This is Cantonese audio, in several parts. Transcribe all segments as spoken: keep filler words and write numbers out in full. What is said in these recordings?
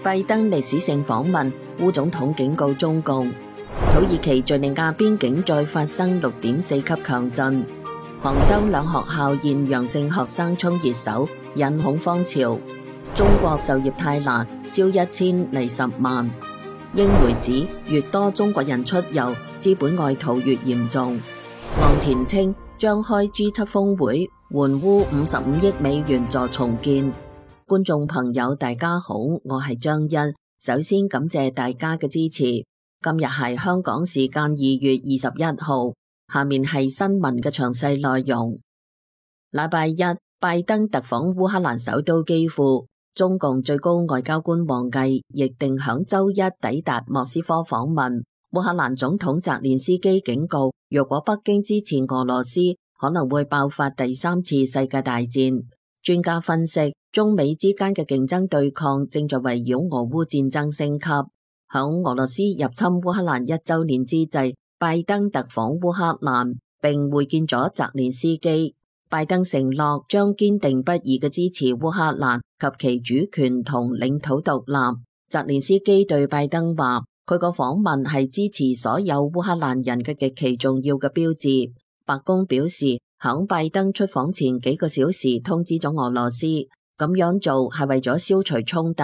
拜登歷史性訪問，烏總統警告中共。土耳其敘利亞邊境再發生六點四級強震。杭州兩學校現陽性學生衝熱搜，引恐慌潮。中國就業太難，招一千嚟十萬。英媒指越多中國人出遊，資本外逃越嚴重。岸田稱將開 G 七峰會，援烏五十五億美元助重建。觀眾朋友大家好，我係張欣，首先感謝大家嘅支持。今日係香港時間二月二十一號，下面係新聞嘅詳細內容。禮拜一，拜登特訪烏克蘭首都基輔，中共最高外交官王毅亦定響周一抵達莫斯科訪問。烏克蘭總統澤連斯基警告，若果北京支持俄羅斯，可能會爆發第三次世界大戰。專家分析，中美之間嘅競爭對抗正在圍繞俄烏戰爭升級。響俄羅斯入侵烏克蘭一周年之際，拜登特訪烏克蘭，並會見咗澤連斯基。拜登承諾將堅定不移嘅支持烏克蘭及其主權同領土獨立。澤連斯基對拜登話，佢個訪問係支持所有烏克蘭人嘅極其重要嘅標誌。白宮表示，響拜登出訪前幾個小時通知咗俄羅斯，咁樣做係為咗消除衝突。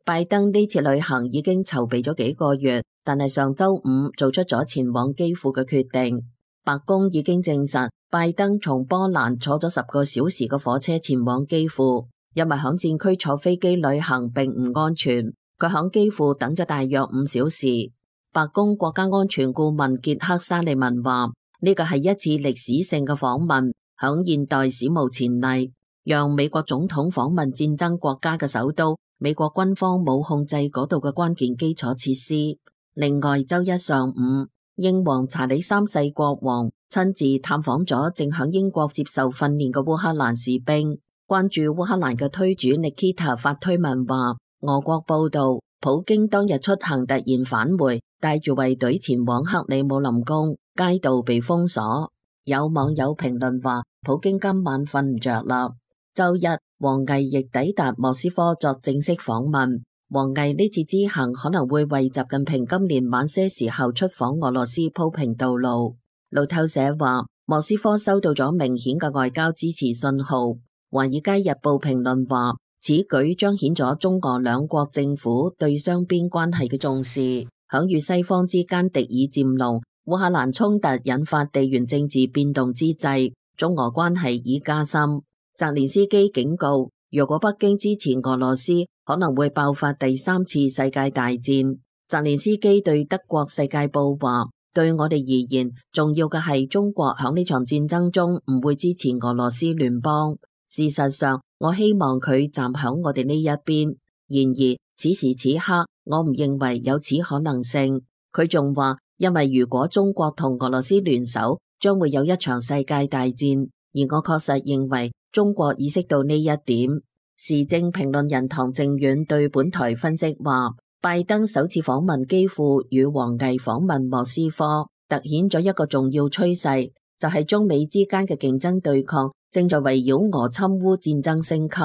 拜登呢次旅行已經籌備咗幾個月，但係上周五做出咗前往基輔嘅決定。白宮已經證實，拜登從波蘭坐咗十個小時嘅火車前往基輔，因為響戰區坐飛機旅行並唔安全，佢響基輔等咗大約五小時。白宮國家安全顧問傑克沙利文話，呢個係一次歷史性嘅訪問，響現代史無前例，讓美國總統訪問戰爭國家嘅首都，美國軍方冇控制嗰度嘅關鍵基礎設施。另外，周一上午，英皇查理三世國王親自探訪咗正響英國接受訓練嘅烏克蘭士兵。關注烏克蘭嘅推主 Nikita 發推文話，俄國報道，普京當日出行突然返回，帶住衛隊前往克里姆林宮，街道被封鎖。有網友評論話，普京今晚瞓唔着啦。周一，王毅亦抵達莫斯科作正式訪問。王毅呢次之行可能會為習近平今年晚些時候出訪俄羅斯鋪平道路。路透社話，莫斯科收到咗明顯嘅外交支持信號。華爾街日報評論話，此舉彰顯咗中俄兩國政府對雙邊關係嘅重視。響與西方之間敵意漸濃，烏克蘭衝突引發地緣政治變動之際，中俄關係已加深。澤連斯基警告，如果北京支持俄羅斯，可能會爆發第三次世界大戰。澤連斯基對德國《世界報》話，對我哋而言，重要嘅係中國響呢場戰爭中唔會支持俄羅斯聯邦。事實上，我希望佢站響我哋呢一邊。然而，此時此刻，我唔認為有此可能性。佢仲話，因為如果中國同俄羅斯聯手，將會有一場世界大戰。而我確實認為中國意識到呢一點。時政評論人唐正遠對本台分析話，拜登首次訪問基輔與王毅訪問莫斯科，凸顯咗一個重要趨勢，就係中美之間嘅競爭對抗正在圍繞俄侵烏戰爭升級。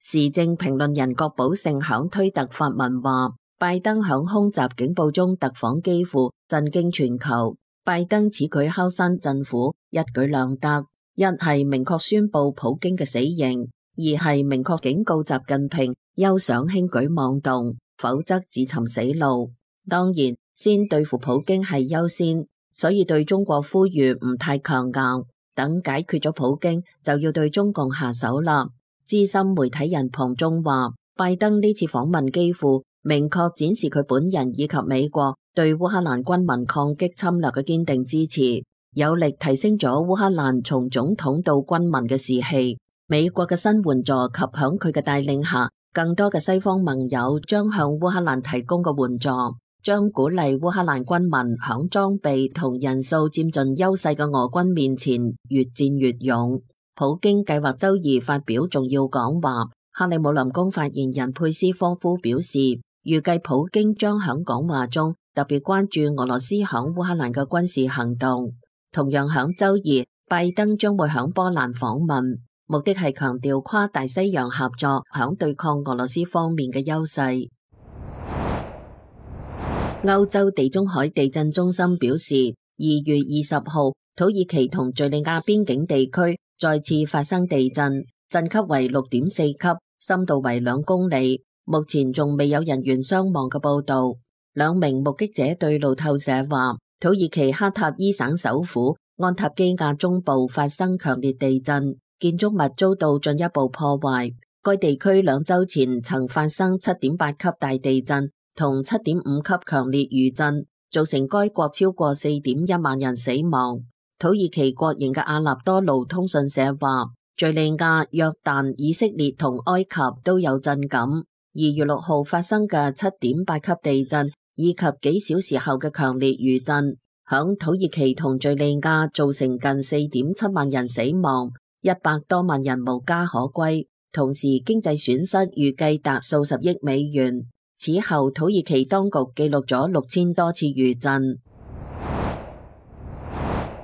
時政評論人郭寶勝響推特發文話，拜登響空襲警報中特訪基輔，震驚全球。拜登此舉敲山震虎，一舉兩得。一係明確宣布普京嘅死刑，二係明確警告習近平休想輕舉妄動，否則自尋死路。當然，先對付普京係優先，所以對中國呼籲唔太強硬，等解決咗普京就要對中共下手啦。資深媒體人龐中話，拜登呢次訪問基輔，明確展示佢本人以及美國對烏克蘭軍民抗擊侵略嘅堅定支持，有力提升咗烏克蘭從總統到軍民嘅士氣。美國嘅新援助及響佢嘅帶領下，更多嘅西方盟友將向烏克蘭提供嘅援助，將鼓勵烏克蘭軍民響裝備同人數佔盡優勢嘅俄軍面前越戰越勇。普京計劃周二發表重要講話，克里姆林宮發言人佩斯科夫表示，預計普京將響講話中特別關注俄羅斯響烏克蘭嘅軍事行動。同樣響周二，拜登將會響波蘭訪問，目的係強調跨大西洋合作響對抗俄羅斯方面嘅優勢。歐洲地中海地震中心表示，二月二十號，土耳其同敘利亞邊境地區再次發生地震，震級為六點四級，深度為兩公里。目前仲未有人員傷亡嘅報道。兩名目擊者對路透社話，土耳其克塔伊省首府安塔基亞中部發生強烈地震，建築物遭到進一步破壞。該地區兩週前曾發生七點八級大地震同七點五級強烈餘震，造成該國超過四點一萬人死亡。土耳其國營嘅阿納多盧通訊社話，敘利亞、約旦、以色列同埃及都有震感。二月六號發生嘅七點八級地震以及幾小時後嘅強烈餘震，響土耳其同敘利亞造成近四點七萬人死亡，一百多萬人無家可歸，同時經濟損失預計達數十億美元。此後，土耳其當局記錄咗六千多次餘震。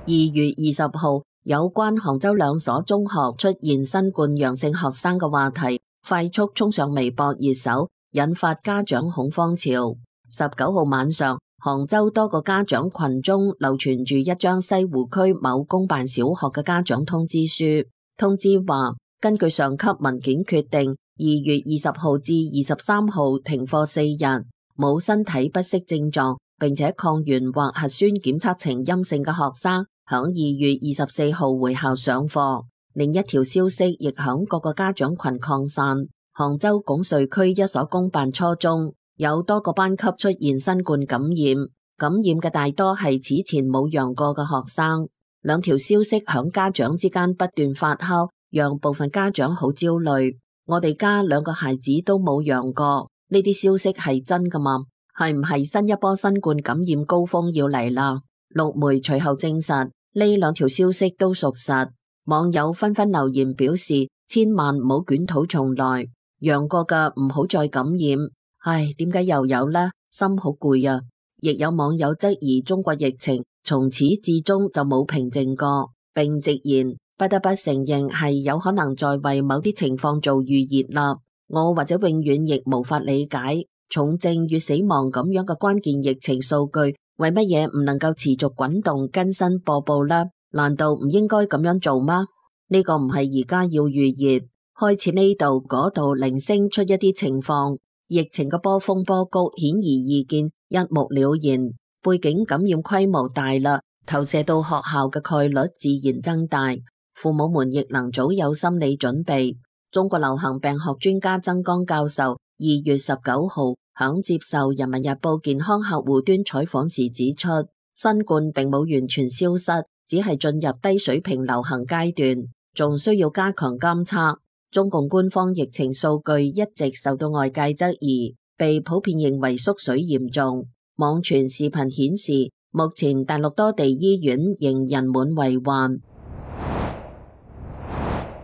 二月二十號，有關杭州兩所中學出現新冠陽性學生嘅話題快速衝上微博熱搜，引發家長恐慌潮。十九號晚上，杭州多個家長群中流傳住一張西湖區某公辦小學嘅家長通知書，通知話，根據上級文件決定，二月二十號至二十三號停課四日，冇身體不適症狀並且抗原或核酸檢測呈陰性嘅學生響二月二十四號回校上課。另一條消息亦響各個家長群擴散，杭州拱墅區一所公辦初中有多個班級出現新冠感染，感染嘅大多係此前冇陽過嘅學生。兩條消息響家長之間不斷發酵，讓部分家長好焦慮。我哋家兩個孩子都冇陽過，呢啲消息係真㗎嘛？係唔係新一波新冠感染高峰要嚟啦？陸媒隨後證實呢兩條消息都屬實，網友紛紛留言表示千萬唔好捲土重來，陽過嘅唔好再感染。唉，點解又有呢？心好攰啊！亦有網友質疑中國疫情從始至終就冇平靜過，並直言不得不承認係有可能在為某啲情況做預熱啦。我或者永遠亦無法理解重症與死亡咁樣嘅關鍵疫情數據，為乜嘢唔能夠持續滾動更新播報呢？難道唔應該咁樣做嗎？呢個唔係而家要預熱，開始呢度嗰度零星出一啲情況。疫情嘅波峰波谷顯而易見，一目了然。背景感染規模大啦，投射到學校嘅概率自然增大。父母們亦能早有心理準備。中國流行病學專家曾江教授二月十九號響接受《人民日報》健康客戶端採訪時指出，新冠並冇完全消失，只係進入低水平流行階段，仲需要加強監測。中共官方疫情數據一直受到外界質疑，被普遍認為縮水嚴重。網傳視頻顯示，目前大陸多地醫院仍人滿為患。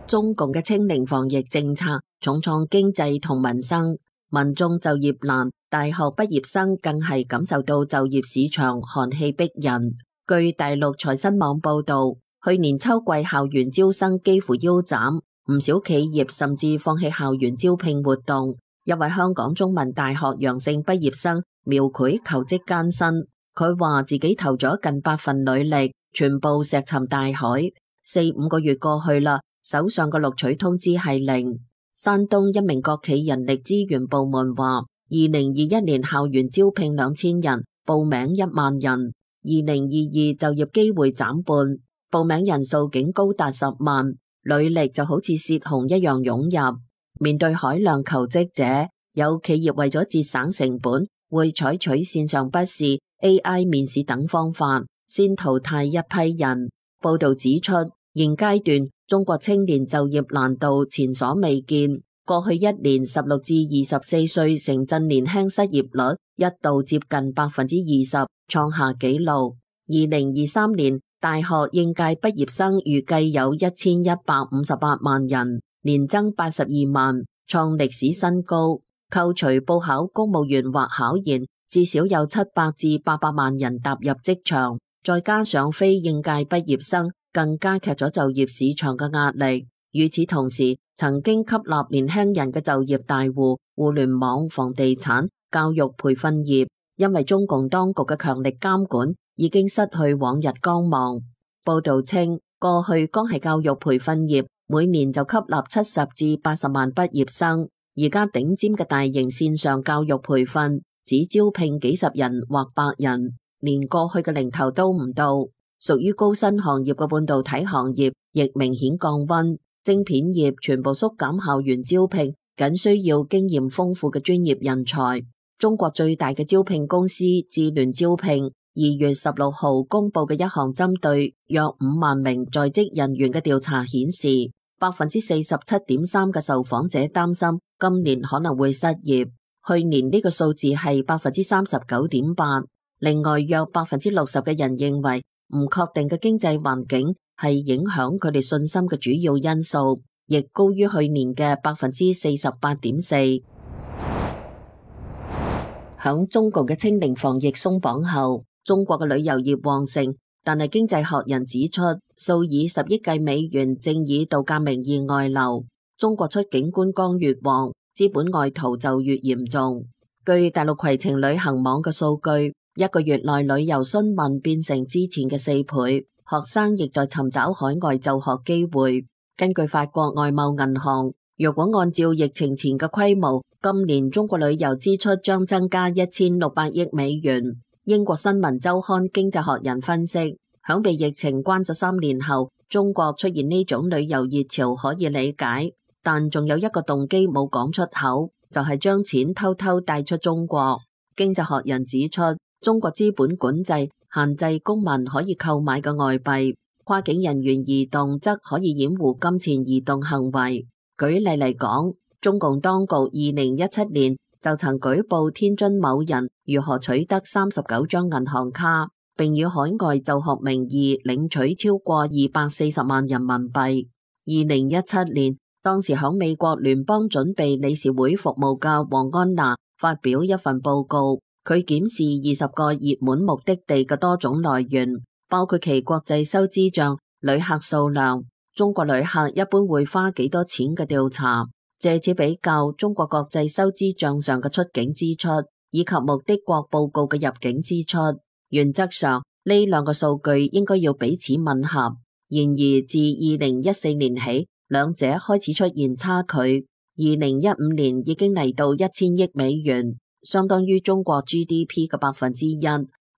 中共嘅清零防疫政策重創經濟同民生，民眾就業難，大學畢業生更係感受到就業市場寒氣逼人。據大陸財新網報道，去年秋季校園招生幾乎腰斬。唔少企業甚至放棄校園招聘活動。一位香港中文大學陽性畢業生描繪求職艱辛，佢話自己投咗近百份履歷，全部石沉大海。四五個月過去啦，手上嘅錄取通知係零。山東一名國企人力資源部門話，二零二一年校園招聘兩千人，報名一萬人。二零二二就業機會斬半，報名人數竟高達十萬。履歷就好似洩洪一樣湧入，面對海量求職者，有企業為咗節省成本，會採取線上筆試、A I 面試等方法，先淘汰一批人。報道指出，現階段中國青年就業難度前所未見，過去一年十六至二十四歲城鎮年輕失業率一度接近百分之二十，創下紀錄。二零二三年大學應屆畢業生預計有一千一百五十八萬人，年增八十二萬，創歷史新高。扣除報考公務員或考研，至少有七百至八百萬人踏入職場，再加上非應屆畢業生，更加劇咗就業市場嘅壓力。與此同時，曾經吸納年輕人嘅就業大戶、互聯網、房地產、教育培訓業，因為中共當局嘅強力監管已經失去往日光芒。報道稱，過去光係教育培訓業每年就吸納七十至八十萬畢業生，而家頂尖嘅大型線上教育培訓只招聘幾十人或百人，連過去嘅零頭都唔到。屬於高薪行業嘅半導體行業亦明顯降溫，晶片業全部縮減校園招聘，僅需要經驗豐富嘅專業人才。中國最大嘅招聘公司智聯招聘二月十六號公布嘅一項針對約五萬名在職人員嘅調查顯示，百分之四十七點三嘅受訪者擔心今年可能會失業，去年呢個數字係百分之三十九點八。另外約百分之六十嘅人認為唔確定嘅經濟環境係影響佢哋信心嘅主要因素，亦高於去年嘅百分之四十八點四。響中共嘅清零防疫鬆綁後，中國嘅旅遊業旺盛，但係經濟學人指出，數以十億計美元正以度假名義外流，中國出境觀光越旺，資本外逃就越嚴重。據大陸攜程旅行網嘅數據，一個月內旅遊詢問變成之前嘅四倍，學生亦在尋找海外就學機會。根據法國外貿銀行，若果按照疫情前嘅規模，今年中國旅遊支出將增加一千六百億美元。英國新聞週刊經濟學人分析，響被疫情關咗三年後，中國出現呢種旅遊熱潮可以理解，但仲有一個動機冇講出口，就係將錢偷偷帶出中國。經濟學人指出，中國資本管制限制公民可以購買嘅外幣，跨境人員移動則可以掩護金錢移動行為。舉例嚟講，中共當局二零一七年就曾舉報天津某人如何取得三十九張銀行卡，並以海外就學名義領取超過二百四十萬人民幣。二零一七年，當時響美國聯邦準備理事會服務嘅黃安娜發表一份報告，佢檢視二十個熱門目的地嘅多種來源，包括其國際收支賬、旅客數量、中國旅客一般會花幾多錢嘅調查，借此比較中國國際收支賬上嘅出境支出以及目的國報告嘅入境支出。原則上呢兩個數據應該要彼此吻合，然而自二零一四年起，兩者開始出現差距。二零一五年已經嚟到一千億美元，相當於中國 G D P 嘅百分之一。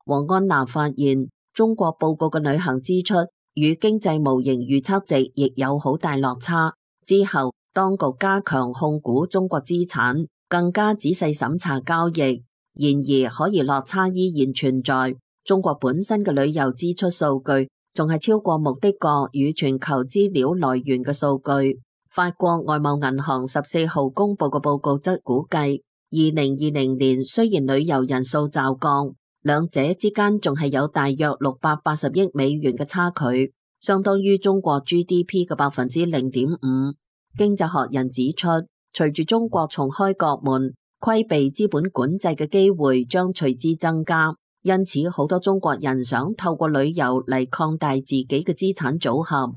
黃安娜發現中國報告嘅旅行支出與經濟模型預測值亦有好大落差。之後當局加強控股中國資產，更加仔細審查交易。然而可疑落差依然存在，中國本身嘅旅遊支出數據仲係超過目的國與全球資料來源嘅數據。法國外貿銀行十四號公布嘅報告則估計，二零二零年雖然旅遊人數驟降，兩者之間仲係有大約六百八十億美元嘅差距，相當於中國 G D P 嘅百分之零點五。經濟學人指出，隨住中國重開國門，規避資本管制嘅機會將隨之增加，因此好多中國人想透過旅遊嚟擴大自己嘅資產組合。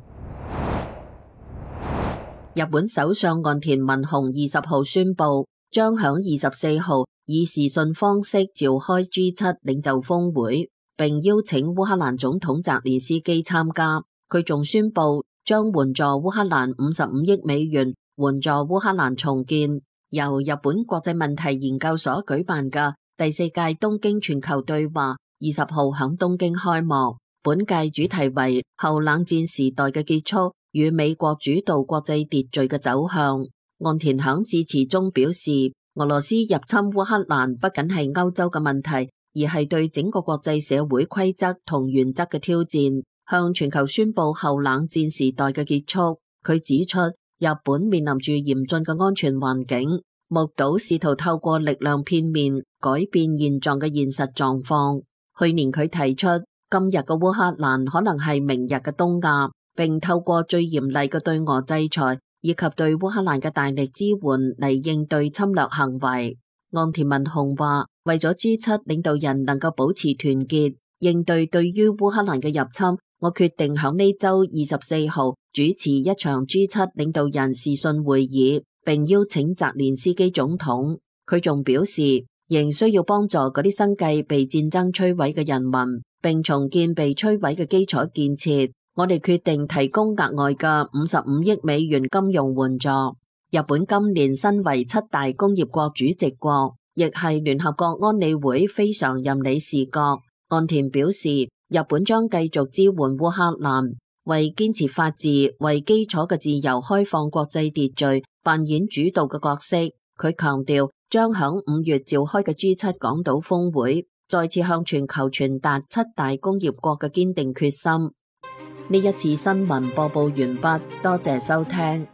日本首相岸田文雄二十號宣布，將響二十四號以視訊方式召開 G 七 領袖峰會，並邀請烏克蘭總統澤連斯基參加。佢仲宣布將援助烏克蘭五十五億美元，援助烏克蘭重建。由日本國際問題研究所舉辦嘅第四屆東京全球對話二十號響東京開幕。本屆主題為後冷戰時代嘅結束與美國主導國際秩序嘅走向。岸田響致辭中表示，俄羅斯入侵烏克蘭不僅係歐洲嘅問題，而係對整個國際社會規則同原則嘅挑戰，向全球宣布後冷戰時代嘅結束。佢指出，日本面臨住嚴峻嘅安全環境，目睹試圖透過力量片面改變現狀嘅現實狀況。去年佢提出，今日嘅烏克蘭可能係明日嘅東亞，並透過最嚴厲嘅對俄制裁以及對烏克蘭嘅大力支援嚟應對侵略行為。岸田文雄話，為咗 G 七 領導人能夠保持團結，應對對於烏克蘭嘅入侵，我決定響呢周二十四號主持一場 G 七 領導人視訊會議，並邀請澤連斯基總統。佢仲表示，仍需要幫助嗰啲生計被戰爭摧毀嘅人民，並重建被摧毀嘅基礎建設。我哋決定提供額外嘅五十五億美元金融援助。日本今年身為七大工業國主席國，亦係聯合國安理會非常任理事國。岸田表示，日本將繼續支援烏克蘭，為堅持法治、為基礎嘅自由開放國際秩序扮演主導嘅角色。佢強調，將響五月召開嘅 G 七港島峰會，再次向全球傳達七大工業國嘅堅定決心。呢一次新聞播報完畢，多謝收聽。